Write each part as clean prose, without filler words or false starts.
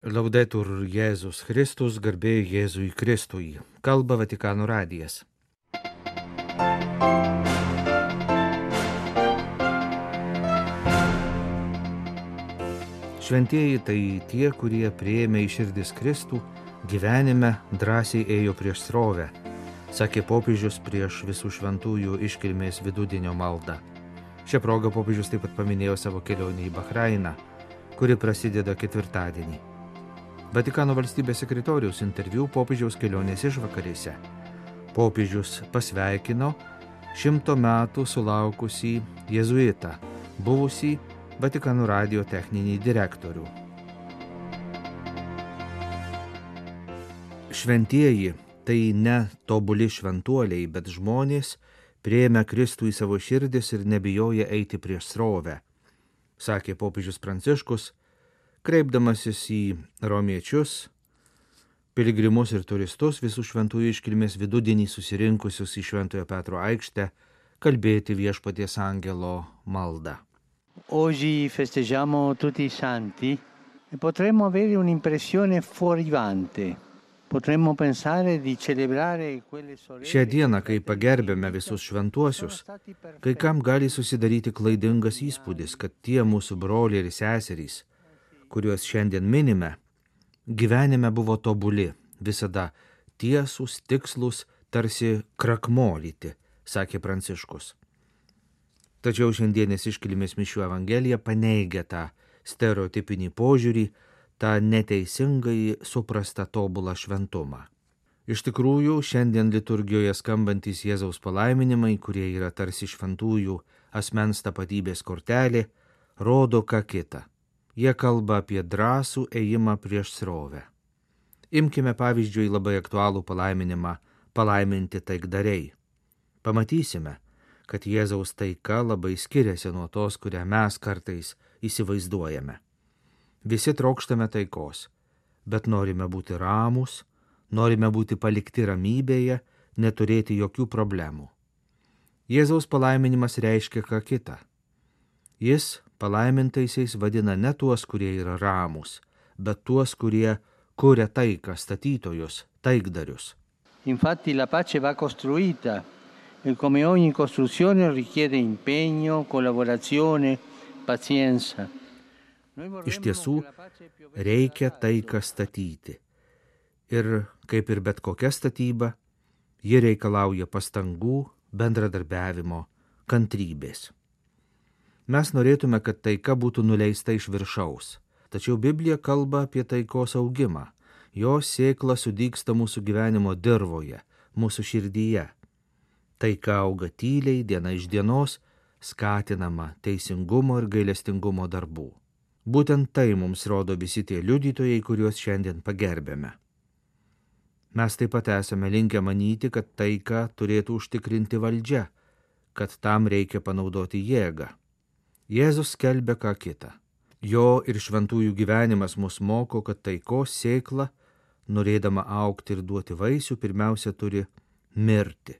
Laudetur Jėzus Kristus, garbė Jėzui Kristui. Kalba Vatikano radijas. Šventieji tai tie, kurie priėmė į širdis Kristų, gyvenime drąsiai ėjo prieš srovę, sakė popiežius prieš visų šventųjų iškilmės vidudienio maldą. Šią progą popiežius taip pat paminėjo savo kelionę į Bahrainą, kuri prasideda ketvirtadienį. Vatikano valstybės sekretoriaus interviu popiežiaus kelionės išvakarėse. Popiežius pasveikino 100 metų sulaukusį jėzuitą, buvusį Vatikano radijo techninį direktorių. Šventieji tai ne tobuli šventuoliai, bet žmonės priėmę Kristų į savo širdis ir nebijoja eiti prieš srovę, sakė popiežius Pranciškus, kreipdamasis į romiečius, piligrimus ir turistus visų šventųjų iškilmės vidudienį susirinkusius į Šventojo Petro aikštę kalbėti Viešpaties angelo maldą. Oggi festeggiamo tutti i santi e potremmo avere un'impressione fuorivante. Potremmo pensare di celebrare quelle sorelle. Šią dieną, kai pagerbėme visus šventuosius, kai kam gali susidaryti klaidingas įspūdis, kad tie mūsų broliai ir seserys, kuriuos šiandien minime, gyvenime buvo tobuli, visada tiesūs, tikslus, tarsi krakmolyti, sakė Pranciškus. Tačiau šiandienis iškilmės mišių evangelija paneigia tą stereotipinį požiūrį, tą neteisingai suprastą tobulą šventumą. Iš tikrųjų, šiandien liturgijoje skambantys Jėzaus palaiminimai, kurie yra tarsi šventųjų asmens tapatybės kortelė, rodo ką kitą. Jie kalba apie drąsų ėjimą prieš srovę. Imkime pavyzdžiui labai aktualų palaiminimą palaiminti taikdariai. Pamatysime, kad Jėzaus taika labai skiriasi nuo tos, kurią mes kartais įsivaizduojame. Visi trokštame taikos, bet norime būti ramūs, norime būti palikti ramybėje, neturėti jokių problemų. Jėzaus palaiminimas reiškia ką kitą. Jis palaimintaisiais vadina ne tuos, kurie yra ramūs, bet tuos, kurie kuria taiką, statytojus, taikdarius. Infatti la pace va costruita e come ogni costruzione richiede impegno, collaborazione, pazienza. Iš tiesų, reikia taiką statyti. Ir kaip ir bet kokia statyba, ji reikalauja pastangų, bendradarbiavimo, kantrybės. Mes norėtume, kad taika būtų nuleista iš viršaus, tačiau Biblija kalba apie taikos augimą. Jos sėkla sudygsta mūsų gyvenimo dirvoje, mūsų širdyje. Taika auga tyliai, diena iš dienos, skatinama teisingumo ir gailestingumo darbų. Būtent tai mums rodo visi tie liudytojai, kuriuos šiandien pagerbėme. Mes taip pat esame linkę manyti, kad taiką turėtų užtikrinti valdžia, kad tam reikia panaudoti jėgą. Jėzus skelbia ką kitą. Jo ir šventųjų gyvenimas mus moko, kad taikos sėkla, norėdama augti ir duoti vaisių, pirmiausia turi mirti.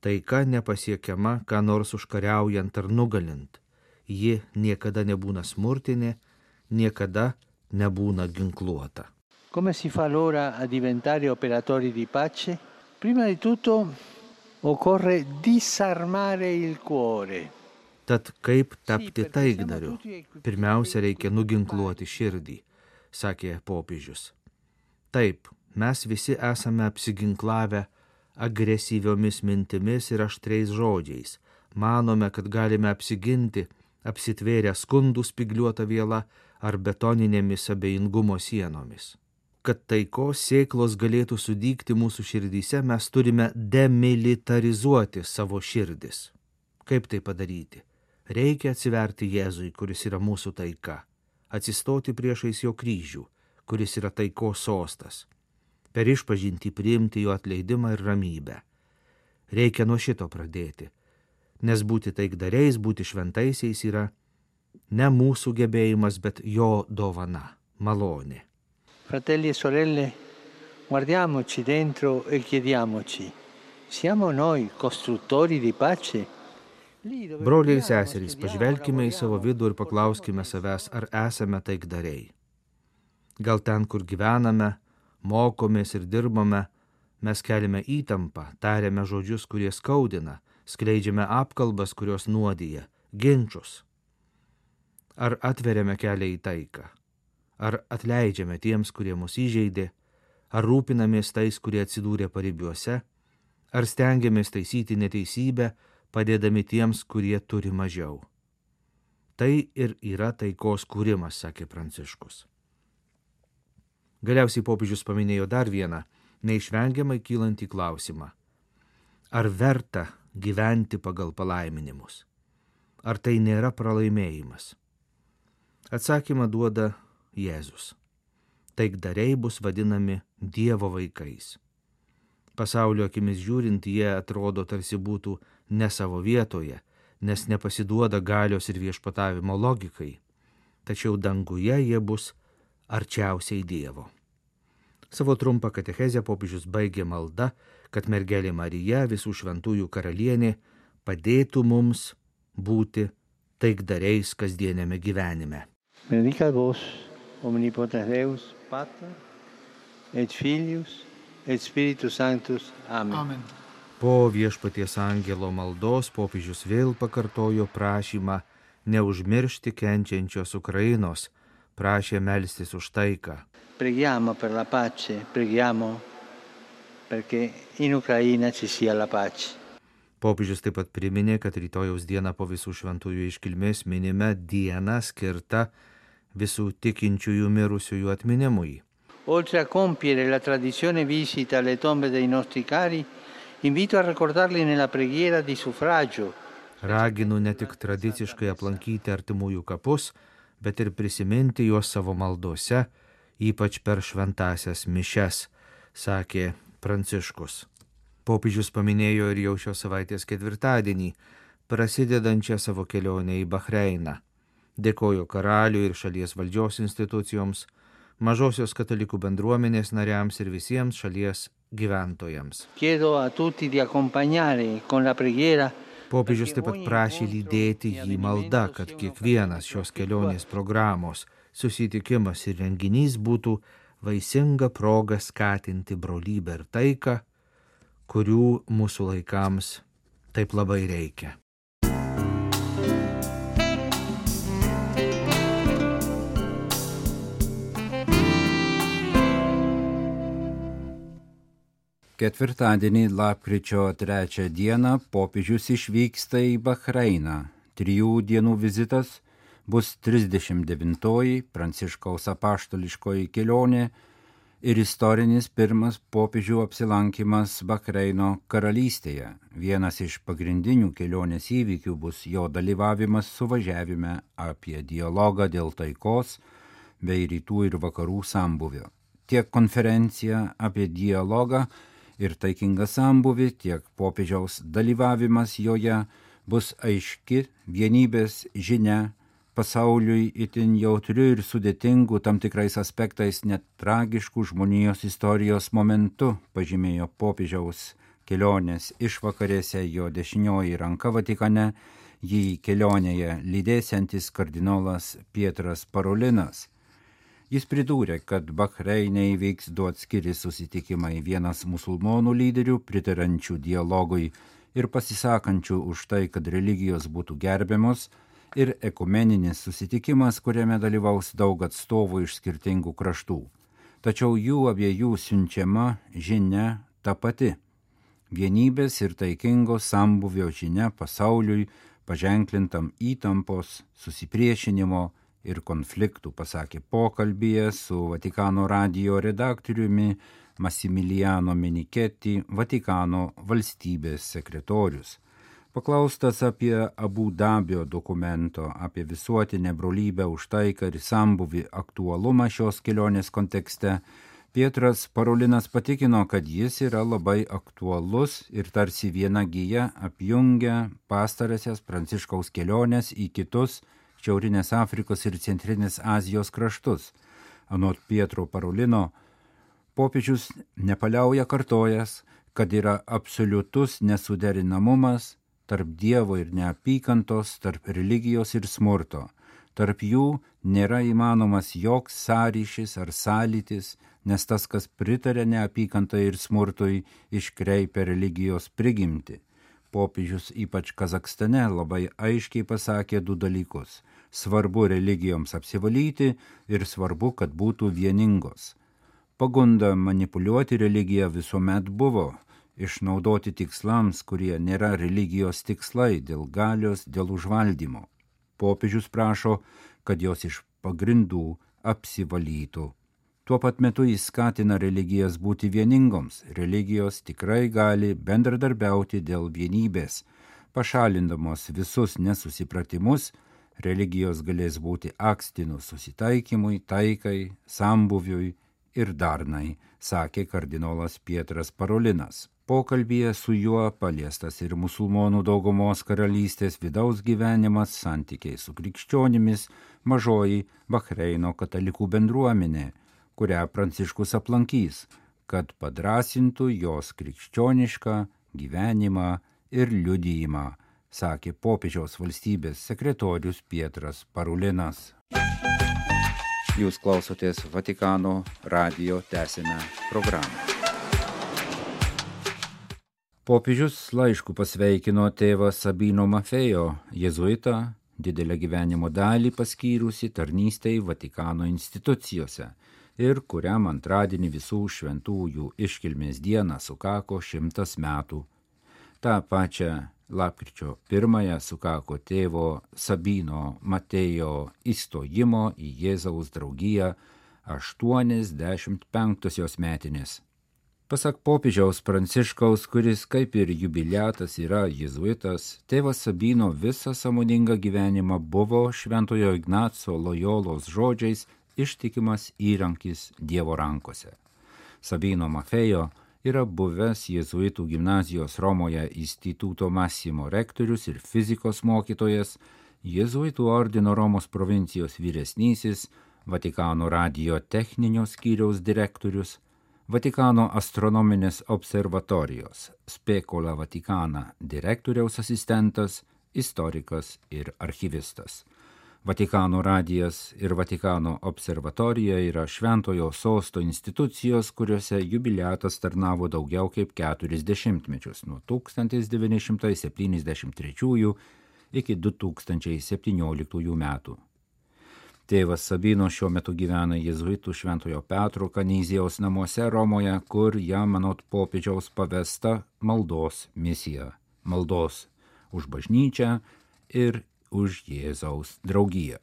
Taika nepasiekiama, ką nors užkariaujant ar nugalint. Ji niekada nebūna smurtinė, niekada nebūna ginkluota. Come si fa allora a diventare operatori di pace? Prima di tutto occorre disarmare il cuore. Tad kaip tapti taikdariu? Pirmiausia, reikia nuginkluoti širdį, sakė popiežius. Taip, mes visi esame apsiginklavę agresyviomis mintimis ir aštriais žodžiais. Manome, kad galime apsiginti, apsitvėrę skundų spygliuotą vielą ar betoninėmis abejingumo sienomis. Kad taikos sėklos galėtų sudygti mūsų širdyse, mes turime demilitarizuoti savo širdis. Kaip tai padaryti? Reikia atsiverti Jėzui, kuris yra mūsų taika, atsistoti priešais jo kryžių, kuris yra taikos sostas, per išpažintį priimti jo atleidimą ir ramybę. Reikia nuo šito pradėti, nes būti taikdariais, būti šventaisiais yra ne mūsų gebėjimas, bet jo dovana, malonė. Fratelli e sorelle, guardiamoci dentro e chiediamoci, siamo noi costruttori di pace? Broliai ir seserys, pažvelkime į savo vidų ir paklauskime savęs, ar esame taikdariai. Gal ten, kur gyvename, mokomės ir dirbame, mes keliame įtampą, tariame žodžius, kurie skaudina, skleidžiame apkalbas, kurios nuodija, ginčus. Ar atveriame kelią į taiką? Ar atleidžiame tiems, kurie mus įžeidė? Ar rūpinamės tais, kurie atsidūrė paribiuose? Ar stengiamės taisyti neteisybę, padėdami tiems, kurie turi mažiau? Tai ir yra taikos kūrimas, sakė Pranciškus. Galiausiai popiežius paminėjo dar vieną, neišvengiamai kylantį klausimą. Ar verta gyventi pagal palaiminimus? Ar tai nėra pralaimėjimas? Atsakymą duoda Jėzus. Taikdariai bus vadinami Dievo vaikais. Pasaulio akimis žiūrint, jie atrodo tarsi būtų ne savo vietoje, nes nepasiduoda galios ir viešpatavimo logikai. Tačiau danguje jie bus arčiausiai Dievo. Savo trumpą katechezę popiežius baigė malda, kad mergelė Marija, visų šventųjų karalienė, padėtų mums būti taikdariais kasdienėme gyvenime. Benedicat vos, omnipotens Deus, Pater, et Filius, et Spiritus Sanctus. Amen. Amen. Po viešpaties angelo maldos popiežius vėl pakartojo prašymą neužmiršti kenčiančios Ukrainos, prašė melstis už taiką. Preghiamo per la pace, preghiamo perché in Ucraina ci sia la pace. Popiežius taip pat priminė, kad rytojaus dieną po visų šventųjų iškilmės minime dieną skirtą visų tikinčiųjų mirusiųjų atminimui. Oltre a compiere la tradizione visita alle tombe dei nostri cari, invito a ricordarli nella preghiera di suffragio. Raginu ne tik tradiciškai aplankyti artimųjų kapus, bet ir prisiminti juos savo maldose, ypač per šventąsias mišias, sakė Pranciškus. Popiežius paminėjo ir jau šios savaitės ketvirtadienį, prasidedančią savo kelionę į Bahreiną. Dėkojo karaliui ir šalies valdžios institucijoms, mažosios katalikų bendruomenės nariams ir visiems šalies gyventojams. Chiedo a tutti di accompagnare con la preghiera. Popiežius taip pat prašė lydėti jį malda, kad kiekvienas šios kelionės programos susitikimas ir renginys būtų vaisinga proga skatinti brolybę ir taiką, kurių mūsų laikams taip labai reikia. Ketvirtadienį, lapkričio 3 dieną, popiežius išvyksta į Bahreiną. 3 dienų vizitas bus 39-oji Pranciškaus apaštališkoji kelionė ir istorinis pirmas popiežių apsilankimas Bahreino karalystėje. Vienas iš pagrindinių kelionės įvykių bus jo dalyvavimas suvažiavime apie dialogą dėl taikos bei rytų ir vakarų sambūvio. Tiek konferencija apie dialogą ir taikingą sambūvį, tiek popiežiaus dalyvavimas joje bus aiški vienybės žinia pasauliui itin jautriu ir sudėtingu tam tikrais aspektais net tragiškų žmonijos istorijos momentu, pažymėjo popiežiaus kelionės išvakarėse jo dešinioji ranka Vatikane, jį kelionėje lydėsiantis kardinolas Pietras Parolinas. Jis pridūrė, kad Bahreine įvyks 2 atskiri susitikimai, vienas musulmonų lyderių pritarančių dialogui ir pasisakančių už tai, kad religijos būtų gerbiamos, ir ekumeninis susitikimas, kuriame dalyvaus daug atstovų iš skirtingų kraštų. Tačiau jų abiejų siunčiama žinia ta pati. Vienybės ir taikingo sambūvio žinia pasauliui paženklintam įtampos, susipriešinimo ir konfliktų, pasakė pokalbyje su Vatikano radijo redaktoriumi Massimiliano Menichetti, Vatikano valstybės sekretorius. Paklaustas apie Abu Dabio dokumento apie visuotinę brolybę už taiką ir sambūvį aktualumą šios kelionės kontekste, Pietras Parolinas patikino, kad jis yra labai aktualus ir tarsi viena gija apjungia pastarąsias Pranciškaus keliones į kitus Šiaurinės Afrikos ir Centrinės Azijos kraštus. Anot Pietro Parolino, popiežius nepaliauja kartojęs, kad yra absoliutus nesuderinamumas tarp Dievo ir neapykantos, tarp religijos ir smurto. Tarp jų nėra įmanomas joks sąryšis ar sąlytis, nes tas, kas pritarė neapykantai ir smurtui, iškreipia religijos prigimtį. Popiežius ypač Kazakstane labai aiškiai pasakė du dalykus. Svarbu religijoms apsivalyti ir svarbu, kad būtų vieningos. Pagunda manipuliuoti religiją visuomet buvo, išnaudoti tikslams, kurie nėra religijos tikslai, dėl galios, dėl užvaldymo. Popiežius prašo, kad jos iš pagrindų apsivalytų. Tuo pat metu jis skatina religijas būti vieningoms. Religijos tikrai gali bendradarbiauti dėl vienybės. Pašalindamos visus nesusipratimus, religijos galės būti akstinu susitaikymui, taikai, sambuviui ir darnai, sakė kardinolas Pietras Parolinas. Pokalbyje su juo paliestas ir musulmonų daugumos karalystės vidaus gyvenimas, santykiai su krikščionimis, mažoji Bahreino katalikų bendruomenė, kurią Pranciškus aplankys, kad padrasintų jos krikščionišką gyvenimą ir liudijimą, sakė popiežiaus valstybės sekretorius Pietras Parolinas. Jūs klausotės Vatikano radijo, tęsiame programą. Popiežius laišku pasveikino tėvą Sabino Maffeo, jėzuitą, didelę gyvenimo dalį paskyrusi tarnystei Vatikano institucijose ir kuriam antradienį visų šventųjų iškilmės dieną sukako 100 metų. Ta pačia lapkričio 1 sukako tėvo Sabino Matėjo įstojimo į Jėzaus draugiją 85 metinės. Pasak popiežiaus Pranciškaus, kuris kaip ir jubiliatas yra jėzuitas, tėvas Sabino visą sąmoningą gyvenimą buvo Šventojo Ignaco Lojolos žodžiais ištikimas įrankis Dievo rankose. Sabino Maffeo yra buvęs jėzuitų gimnazijos Romoje Instituto Massimo rektorius ir fizikos mokytojas, jėzuitų ordino Romos provincijos vyresnysis, Vatikano radijo techninio skyriaus direktorius, Vatikano astronominės observatorijos Specola Vaticana direktoriaus asistentas, istorikas ir archyvistas. Vatikano radijas ir Vatikano observatorija yra Šventojo sosto institucijos, kuriuose jubiliatas tarnavo daugiau kaip 40 mečius, nuo 1973 iki 2017 metų. Tėvas Sabino šiuo metu gyvena jėzuitų Šventojo Petro Kanyzijaus namuose Romoje, kur jam anot popiežiaus pavesta maldos misija. Maldos už bažnyčią ir už Jėzaus draugiją.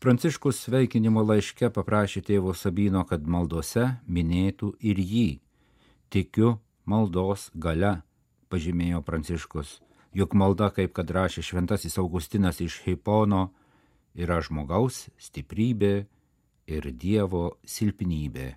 Pranciškus sveikinimo laiške paprašė tėvo Sabino, kad maldose minėtų ir jį. Tikiu maldos galia, pažymėjo Pranciškus, juk malda, kaip kad rašė šventasis Augustinas iš Hipono, yra žmogaus stiprybė ir Dievo silpnybė.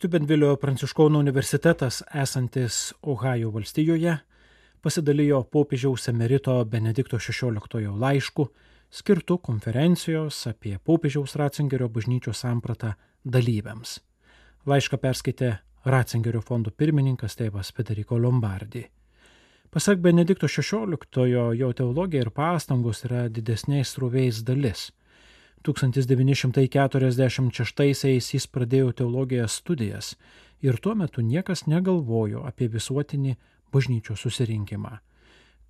Steubenvilio pranciškonų universitetas, esantis Ohajo valstijoje, pasidalijo popiežiaus emerito Benedikto XVI laišku, skirtu konferencijos apie popiežiaus Ratzingerio bažnyčios sampratą dalyviams. Laišką perskaitė Ratzingerio fondo pirmininkas tėvas Federico Lombardi. Pasak Benedikto XVI, jo teologija ir pastangos yra didesniais srovės dalis. 1946 jis pradėjo teologijos studijas ir tuo metu niekas negalvojo apie visuotinį bažnyčios susirinkimą.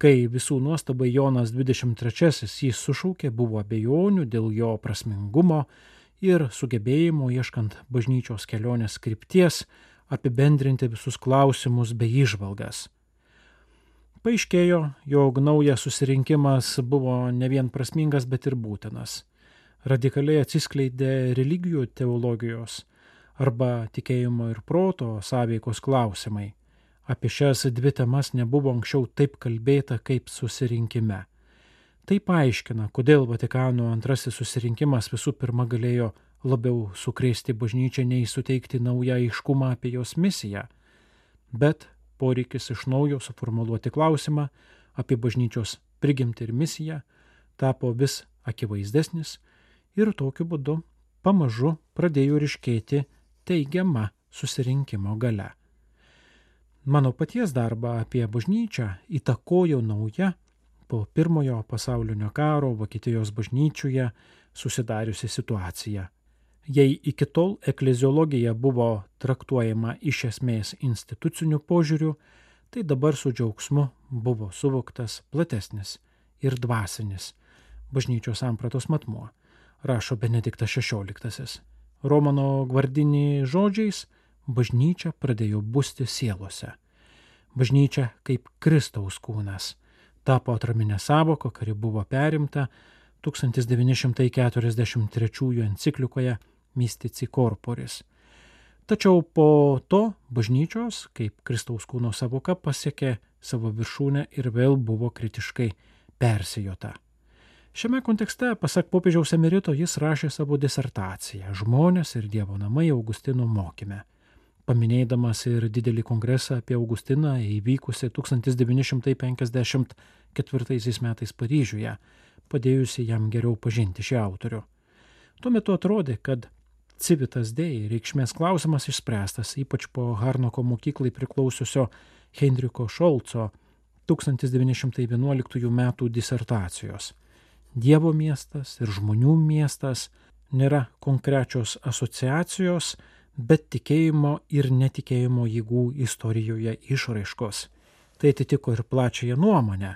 Kai visų nuostabai Jonas 23 jį sušaukė, buvo abejonių dėl jo prasmingumo ir sugebėjimo ieškant bažnyčios kelionės krypties apibendrinti visus klausimus bei įžvalgas. Paaiškėjo, jog naujas susirinkimas buvo ne vien prasmingas, bet ir būtinas. Radikaliai atsiskleidė religijų teologijos arba tikėjimo ir proto sąveikos klausimai. Apie šias dvi temas nebuvo anksčiau taip kalbėta kaip susirinkime. Tai paaiškina, kodėl Vatikano antrasis susirinkimas visų pirma galėjo labiau sukrėsti bažnyčią nei suteikti naują aiškumą apie jos misiją, bet poreikis iš naujo suformuluoti klausimą apie bažnyčios prigimtį ir misiją tapo vis akivaizdesnis ir tokiu būdu pamažu pradėjo ryškėti teigiama susirinkimo galia. Mano paties darbą apie bažnyčią įtakojo nauja po Pirmojo pasaulinio karo Vokietijos bažnyčioje susidariusi situacija. Jei iki tol ekleziologija buvo traktuojama iš esmės instituciniu požiūriu, tai dabar su džiaugsmu buvo suvoktas platesnis ir dvasinis bažnyčios sampratos matmuo, rašo Benediktas XVI. Romano Gvardini žodžiais, bažnyčia pradėjo busti sielose. Bažnyčia kaip Kristaus kūnas tapo atraminė sąvoka, kuri buvo perimta 1943 enciklikoje Mystici Corporis. Tačiau po to bažnyčios, kaip Kristaus kūno sąvoka, pasiekė savo viršūnę ir vėl buvo kritiškai persijota. Šiame kontekste, pasak popiežiaus emerito, jis rašė savo disertaciją Žmonės ir Dievo namai Augustino mokyme, paminėdamas ir didelį kongresą apie Augustiną įvykusi 1954 metais Paryžiuje, padėjusi jam geriau pažinti šį autorių. Tuo metu atrodė, kad Civitas Dei reikšmės klausimas išspręstas, ypač po Harnoko mokyklai priklausiusio Heinricho Šolco 1911 metų disertacijos. Dievo miestas ir žmonių miestas nėra konkrečios asociacijos, bet tikėjimo ir netikėjimo jėgų istorijoje išraiškos. Tai atitiko ir plačiąją nuomonę,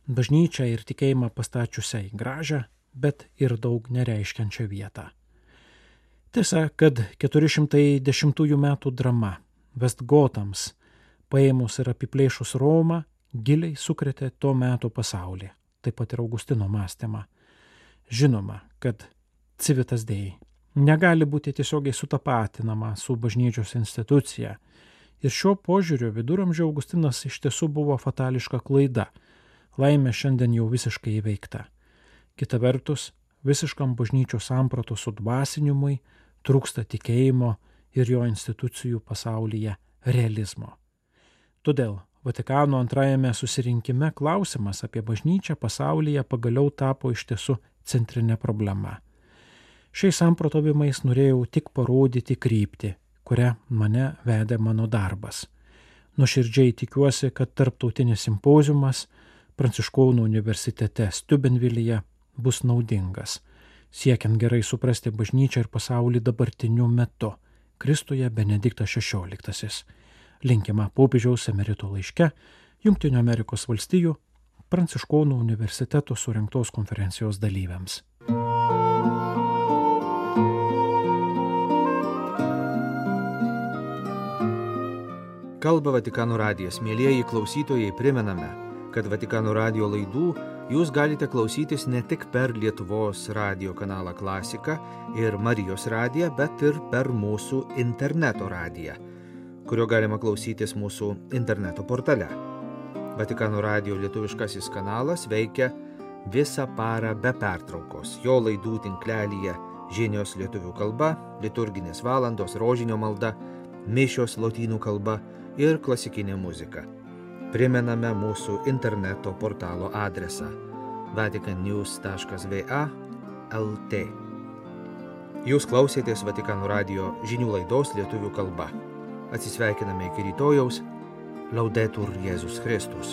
bažnyčią ir tikėjimą pastačiusią į gražią, bet ir daug nereiškiančią vietą. Tiesa, kad 410 metų drama Vestgotams, paėmus ir apiplėšus Romą, giliai sukrėtė to meto pasaulį, taip pat ir Augustino mąstymą. Žinoma, kad Civitas Dei negali būti tiesiogiai sutapatinama su bažnyčios institucija. Ir šiuo požiūriu viduramžių Augustinas iš tiesų buvo fatališka klaida. Laimė šiandien jau visiškai įveikta. Kita vertus, visiškam bažnyčios sampratos sudvasinimui trūksta tikėjimo ir jo institucijų pasaulyje realizmo. Todėl Vatikano antrajame susirinkime klausimas apie bažnyčią pasaulyje pagaliau tapo iš tiesų centrinė problema. Šiais samprotavimais norėjau tik parodyti kryptį, kurią mane vedė mano darbas. Nuoširdžiai tikiuosi, kad tarptautinis simpoziumas Pranciškonų universitete Steubenvilyje bus naudingas, siekiant gerai suprasti bažnyčią ir pasaulį dabartiniu metu, Kristuje Benediktas XVI. Linkima popiežiaus emerito laiške Jungtinių Amerikos valstijų Pranciškonų universiteto surengtos konferencijos dalyviams. Kalba Vatikano radijas. Mielieji klausytojai, primename, kad Vatikano radijo laidų jūs galite klausytis ne tik per Lietuvos radijo kanalą Klasika ir Marijos radiją, bet ir per mūsų interneto radiją, kurio galima klausytis mūsų interneto portale. Vatikano radijo lietuviškasis kanalas veikia visą parą be pertraukos. Jo laidų tinklelyje žinios lietuvių kalba, liturginės valandos, rožinio malda, mišios lotynų kalba ir klasikinė muzika. Primename mūsų interneto portalo adresą vaticannews.va/lt. Jūs klausėtės Vatikano radijo žinių laidos lietuvių kalba. Atsisveikiname iki rytojaus. Laudetur Jėzus Kristus.